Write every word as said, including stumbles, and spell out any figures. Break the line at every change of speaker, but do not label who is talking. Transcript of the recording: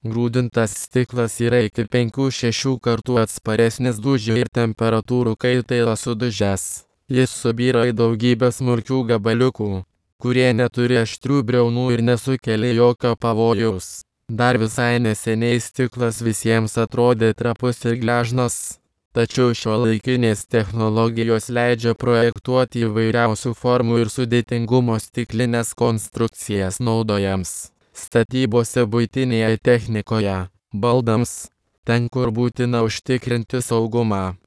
Grūdintas stiklas yra iki penkių šešių kartų atsparesnis dūžių ir temperatūrų kaitai yra sudužęs. Jis subyra į daugybę smulkių gabaliukų, kurie neturi aštrių briaunų ir nesukelia jokio pavojaus. Dar visai neseniai stiklas visiems atrodė trapus ir gležnas. Tačiau šiuolaikinės technologijos leidžia projektuoti įvairiausių formų ir sudėtingumo stiklines konstrukcijas naudojams, statybose, buitinėje technikoje, baldams, ten kur būtina užtikrinti saugumą.